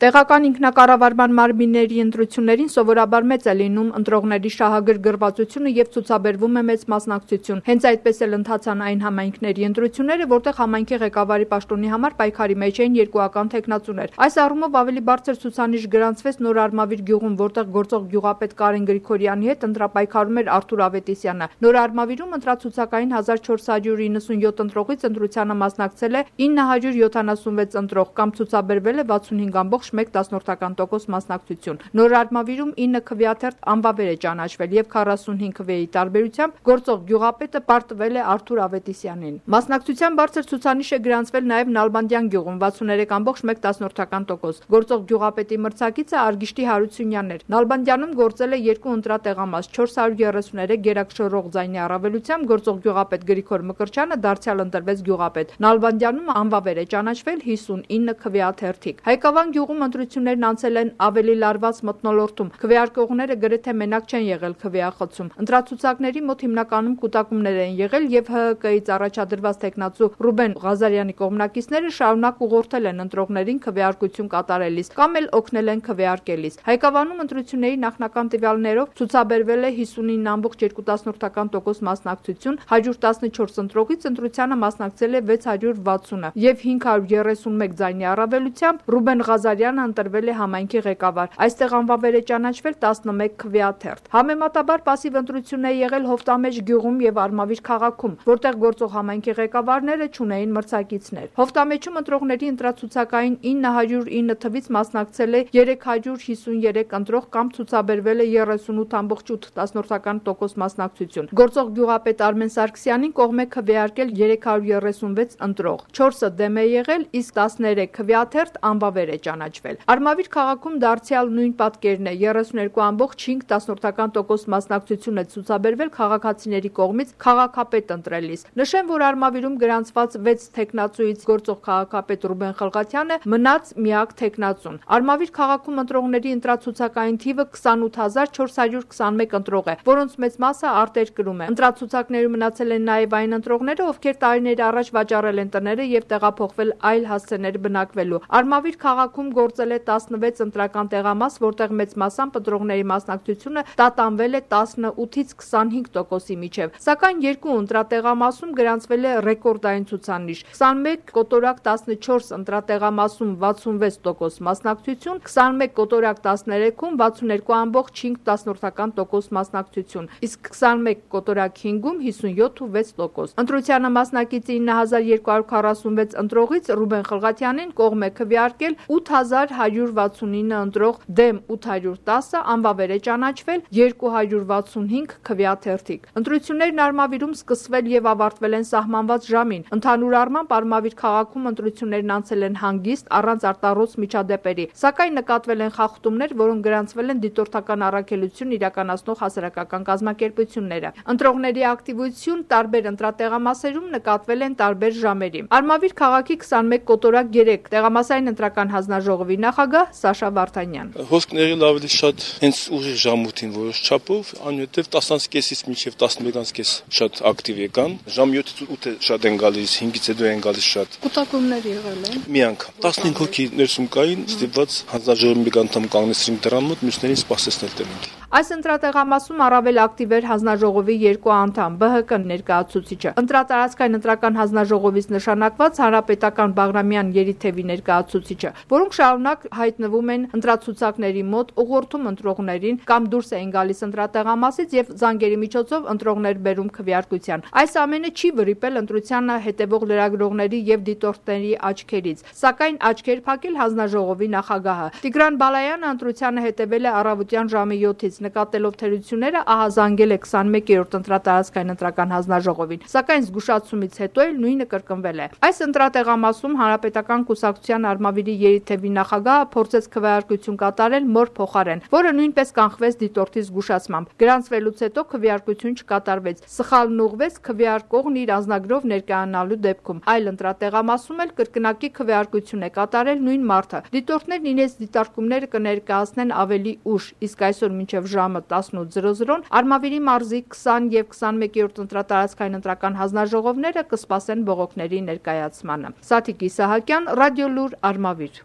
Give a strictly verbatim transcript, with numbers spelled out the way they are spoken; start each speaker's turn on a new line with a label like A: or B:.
A: Տեղական ինքնակառավարման մարմինների ընտրություններին սովորաբար մեծ է լինում ընտրողների շահագրգռվածությունը եւ ցուցաբերվում է մեծ մասնակցություն։ Հենց այդպես էլ ընթացան այն համայնքների ընտրությունները, որտեղ համայնքի ղեկավարի պաշտոնի համար պայքարի մեջ էին երկուական թեկնածուներ։ Այս առումով ավելի բարձր ցուցանիշ գրանցվեց Նոր Արմավիր գյուղում, որտեղ գործող գյուղապետ Կարեն Գրիգորյանի հետ ընտրապայքարում էր Արթուր Ավետիսյանը։ Նոր Արմավիրում ընտրացուցակային հազար չորս հարյուր իննսունյոթ ընտրողից ընտրությանը մասնակցել է ինը հարյուր յոթանասունվեց ընտրող կամ ցուցաբերվել է վաթսունհինգ ամբողջ մեկ տասնորդական տոկոս մասնակցություն։ Նոր Արմավիրում ինը քվեաթերթ անվավեր է ճանաչվել եւ քառասունհինգ քվեի տարբերությամբ գործող գյուղապետը պարտվել է Արթուր Ավետիսյանին։ Մասնակցության բարձր ցուցանիշ է գրանցվել նաեւ Նալբանդյան գյուղում վաթսուներեք ամբողջ մեկ տասնորդական տոկոս։ Գործող գյուղապետի մրցակիցը Արգիշտի Հարությունյանն էր։ Նալբանդյանում գործել է երկու ընտրատեղամաս չորս հարյուր երեսուներեք գերակշռող ձայնի առավելությամբ գործող գյուղապետ Գրիգոր Մկրտչյանը դարձյալ ընտրվեց գյուղապետ։ Նալբանդյանում անվավեր է ճանաչվել հիսունինը քվեաթերթիկ։ Հայկավան գյուղում ընտրություններն անցել են ավելի լարված մթնոլորտում։ Քվեարկողները գրեթե մենակ չեն եղել քվեախցում։ Ընտրացուցակների մոտ հիմնականում կուտակումներ են եղել եւ Հ Հ Կ-ից առաջադրված տեխնացու Ռուբեն Ղազարյանի կողմնակիցները շարունակ ուղղորդել են ընտրողներին քվեարկություն կատարելիս կամ էլ օգնել են քվեարկելիս։ Հայկավանում ընտրությունների նախնական տվյալներով ցուցաբերվել է հիսունինը ամբողջ երկու տասնորդական տոկոս մասնակցություն, հարյուր տասնչորս ընտրողից ընտրությանը մասնակցել է վեց հարյուր վաթսունը եւ հինգ հարյուր երեսունմեկ ձայնի առավելությամբ Ռուբեն Ղազարյանը ընտրվել է համայնքի ղեկավար։ Այստեղ անվավեր է ճանաչվել տասնմեկ քվեաթերթ։ Համեմատաբար պասիվ ընտրություններ եղել Հովտամեջ գյուղում եւ Արմավիր քաղաքում, որտեղ գործող համայնքի ղեկավարները չունեին մրցակիցներ։ Հովտամեջում ընտրողների ընտրացուցակային ինը հարյուր ինը թվից մասնակցել է երեք հարյուր հիսուներեք ընտրող կամ ցուցաբերվել է երեսունութ ամբողջ ութ տասնորդական տոկոս մասնակցություն։ Գործող գյուղապետ Արմեն Սարգսյանին կողմ է քվեարկել երեք հարյուր երեսունվեց ընտրող։ չորսը դեմ է եղել, իսկ տասներեք քվեաթերթ անվավեր է ճանաչվել։ Արմավիր քաղաքում դարձյալ նույն պատկերն է։ երեսուներկու ամբողջ հինգ տասնորդական տոկոս մասնակցություն է ցուցաբերվել քաղաքացիների կողմից քաղաքապետ ընտրելիս։ Նշեմ, որ Արմավիրում գրանցված վեց թեկնածուից գործող քաղաքապետ Ռուբեն Խլղաթյանը մնաց միակ թեկնածուն։ Արմավիր քաղաքում ընտրողների ընտրացուցակային թիվը քսանութ հազար չորս հարյուր քսանմեկ ընտրող է, որոնց մեծ մասը արտերկրում է։ Ընտրացուցակներում մնացել են նաև այն ընտրողները, ովքեր տարիներ առաջ վաճառել են տները եւ տեղափոխվել այլ հասցեներ բնակվելու։ Արմավիր քաղաքում գործել է տասնվեց ընտրական տեղամաս, որտեղ մեծ մասամբ ընտրողների մասնակցությունը տատանվել է տասնութից քսանհինգ տոկոսի միջև։ Սակայն երկու ընտրատեղամասում գրանցվել է ռեկորդային ցուցանիշ՝ քսանմեկ կոտորակ տասնչորս ընտրատեղամասում վաթսունվեց տոկոս մասնակցություն, քսանմեկ կոտորակ տասներեքում վաթսուներկու ամբողջ հինգ տասնորդական տոկոս մասնակցություն, իսկ քսանմեկ կոտորակ հինգում հիսունյոթ ու վեց տոկոս։ Ընտրությանը մասնակից ինը հազար երկու հարյուր քառասունվեց ընտրողից Ռուբեն Խլղաթյանին կողմ է քվեարկել ութ հազար հարյուր վաթսունինը ընտրող, դեմ ութ հարյուր տասը, անվավեր է ճանաչվել երկու հարյուր վաթսունհինգ քվեաթերթիկ։ Ընտրություններն Արմավիրում սկսվել եւ ավարտվել են սահմանված ժամին։ Ընդհանուր առմամբ Արմավիր քաղաքում ընտրություններն անցել են հանգիստ, առանց արտառոց միջադեպերի, սակայն նկատվել են խախտումներ, որոնք գրանցվել են դիտորդական առաքելություն իրականացնող հասարակական կազմակերպությունները։ Ընտրողների ակտիվություն տարբեր ընտրատեղամասերում նկատվել են տարբեր ժամերի։ Արմավիր քաղաքի քսանմեկ կոտորակ երեք տեղամասային ընտրական հանձնաժողովի նախագահ Սաշա Վարդանյան։
B: Հոսքն եղել ավելի շատ հենց ուղիղ ժամուտին որոշ չափով, անյութև տասնից կեսից մինչև տասնմեկից կես շատ ակտիվ եկան։ Ժամ յոթից ութը շատ են գալիս, հինգից հետո են գալիս շատ։
A: Կուտակումներ եղել են։
B: Մի անգամ տասնհինգ հոգի ներսում կային, ստիպված հանձնաժողովի մեկ անդամ կանգնեցրին դռան մոտ, մյուսներին սպասեցնել տանք։
A: Այս ընտրատեղամասում առավել ակտիվ էր հանձնաժողովի երկու անդամ՝ Բ Հ Կ ներկայացուցիչը։ Ընտրատարածքային ընտրական հանձնաժողովից նշանակված հանրապետական Բաղրամյան Երիթևի ներկայացուցիչը, որոնք շարունակ հայտնվում են ընտրացուցակների մոտ, ուղղորդում ընտրողներին կամ դուրս էին գալիս ընտրատեղամասից եւ զանգերի միջոցով ընտրողներ բերում քվեարկության։ Այս ամենը չի վրիպել ընտրությանը հետևող լրագրողների եւ դիտորդների աչքերից, սակայն աչքեր փակել հանձնաժողովի նախագահը։ Տիգրան Բալայանը ընտրությանը հետևել է առավոտյան ժամը յոթից, նկատելով թերությունները ահազանգել է քսանմեկերորդ ընտրատարածքային ընտրական հանձնաժողովին, սակայն զգուշացումից հետո էլ նույնը կրկնվել է։ Այս ընտրատեղամասում Հանրապետական կուսակցության Արմավիրի Երիթևի նախագահը փորձեց քվեարկություն կատարել մոր փոխարեն, որը նույնպես կանխվեց դիտորդի զգուշացմամբ։ Գրանցվելուց հետո քվեարկություն չկատարվեց։ Սխալն ուղղվեց քվեարկողն իր անձնագրով ներկայանալու դեպքում։ Այլ ընտրատեղամասում էլ կրկնակի քվեարկություն է կատարել նույն մարդը։ Դիտորդներն իրենց դիտարկումները կներկայացնեն ավելի ուշ, իսկ այսօր մինչև ժամը տասնութ զրո զրոն Արմավիրի մարզի քսան եւ քսանմեկերորդ ընտրատարածքային ընտրական հանձնաժողովները կսպասեն բողոքների ներկայացմանը։ Սաթիկ Իսահակյան, Ռադիոլուր, Արմավիր։